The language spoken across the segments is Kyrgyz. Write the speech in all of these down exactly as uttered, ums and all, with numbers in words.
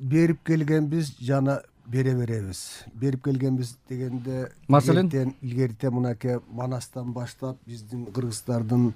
берип келгенбиз, жана бере беребиз. Берип келгенбиз дегенде Маселен илгерите мынакей Манастан баштап биздин кыргыздардын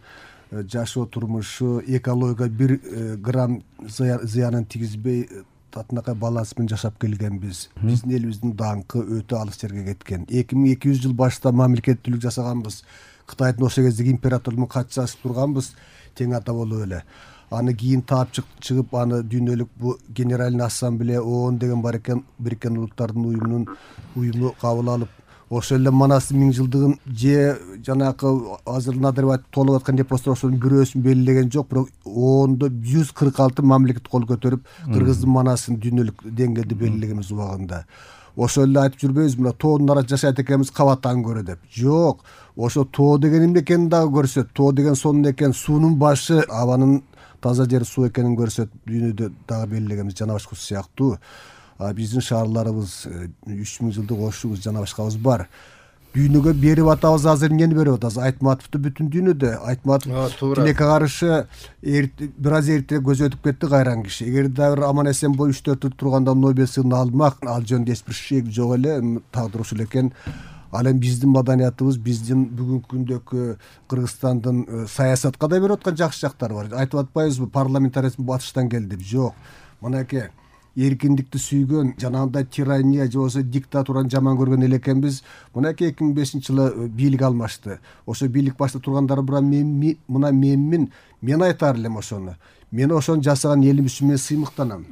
жашоо турмушу, экологияга бир грамм зыянын тийгизбей татынакай баланс менен жашап келгенбиз. Биздин элибиздин даңкы өтө алыс жерге кеткен. эки миң эки жүз жыл башта мамлекеттүүлүк жасаганбыз. Кытайдын ошол кездеги императору менен катышып турганбыз, тең ата болуп эле. Аны кийин таап чыгып, аны дүйнөлүк бу Генеральный ассамблея ООН деген бар экен, Бириккен Улуттардын уюмунун уюму кабыл алып, ошол эле Манастын миң жылдыгын же жанакы азыр Назарбаев толуп аткан эпостор ошонун бирөөсүн белгилеген жок, бирок ООНдо жүз кырк алты мамлекет кол көтөрүп, Кыргыздын Манасын дүйнөлүк деңгээлде белгилегенбиз убагында. Ошол эле айтып жүрбөйбүз, мына тоонун арасында жашайт экенбиз, кабаттан көрө деп. Жок, ошо тоо деген эмне экенин дагы көрсөт. Тоо деген сонун экен, суунун башы, абанын таза жер суу экенин көрсөт, дүйнөдө дагы белгилегенбиз, жана башка сыяктуу. Биздин шаарларыбыз үч миң жылдык ошубуз, жана башкабыз бар. Дүйнөгө берип атабыз, азыр эмнени берип атабыз? Айтматовду бүтүн дүйнөдө. Айтматов тилекке каршы бир аз эртерээк көз өтүп кетти, кайран киши. Эгер дагы аман эсен боюп үч төрт жыл турганда Нобель сыйлыгын алмак, ал жөнүндө эч бир шек жок эле, тагдыр ушул экен. Ал эми биздин маданиятыбыз, биздин бүгүнкү күндөгү Кыргызстандын саясатка да берип аткан жакшы жактары бар. Айтып атпайбызбы, парламентаризм батыштан келди деп? Жок. Мынакей эркиндикти сүйгөн, жанагындай тирания же болбосо диктатураны жаман көргөн эле экенбиз. Мынакей эки миң бешинчи жылы бийлик алмашты. Ошо бийлик башта тургандар бирок мен мына менмин, мен айтар элем ошону. Мен ошону жасаган элим үчүн мен сыймыктанам.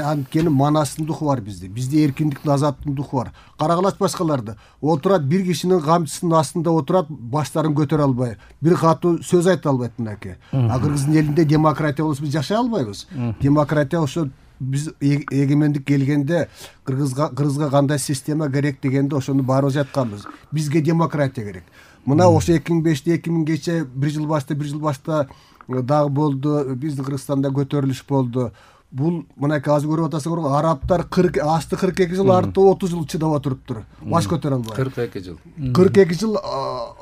Анткени Манастын духу бар бизде. Бизде эркиндиктин, азаттыктын духу бар. Карагылач башкаларды. Отурат бир кишинин камчысынын астында отурат, баштарын көтөрө албай, бир катуу сөз айта албайт мынакей. А Кыргыздын элинде демократия болсо биз жашай албайбыз. Демократия ошо биз эгемендик келгенде Кыргызга Кыргызга кандай система керек дегенде ошону баарыбыз айтканбыз. Бизге демократия керек. Мына ошо эки миң беште эки миңгече бир жыл башта бир жыл башта дагы болду. Биздин Кыргызстанда көтөрүлүш болду. Бул мынакей азыр көрүп атасыңар, арабтар кырк асты кырк эки жыл, арты отуз жыл чыдап отуруптур. Баш көтөрө албай. кырк эки жыл. кырк эки жыл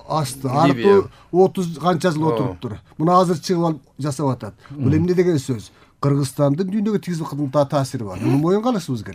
асты, арты отуз канча жыл отуруптур. Мына азыр чыгып алып жасап атат. Бул эмне деген сөз? Кыргызстандын дүйнөгө тийгизип аткан таасири бар. Муну моюнга алышыбыз керек.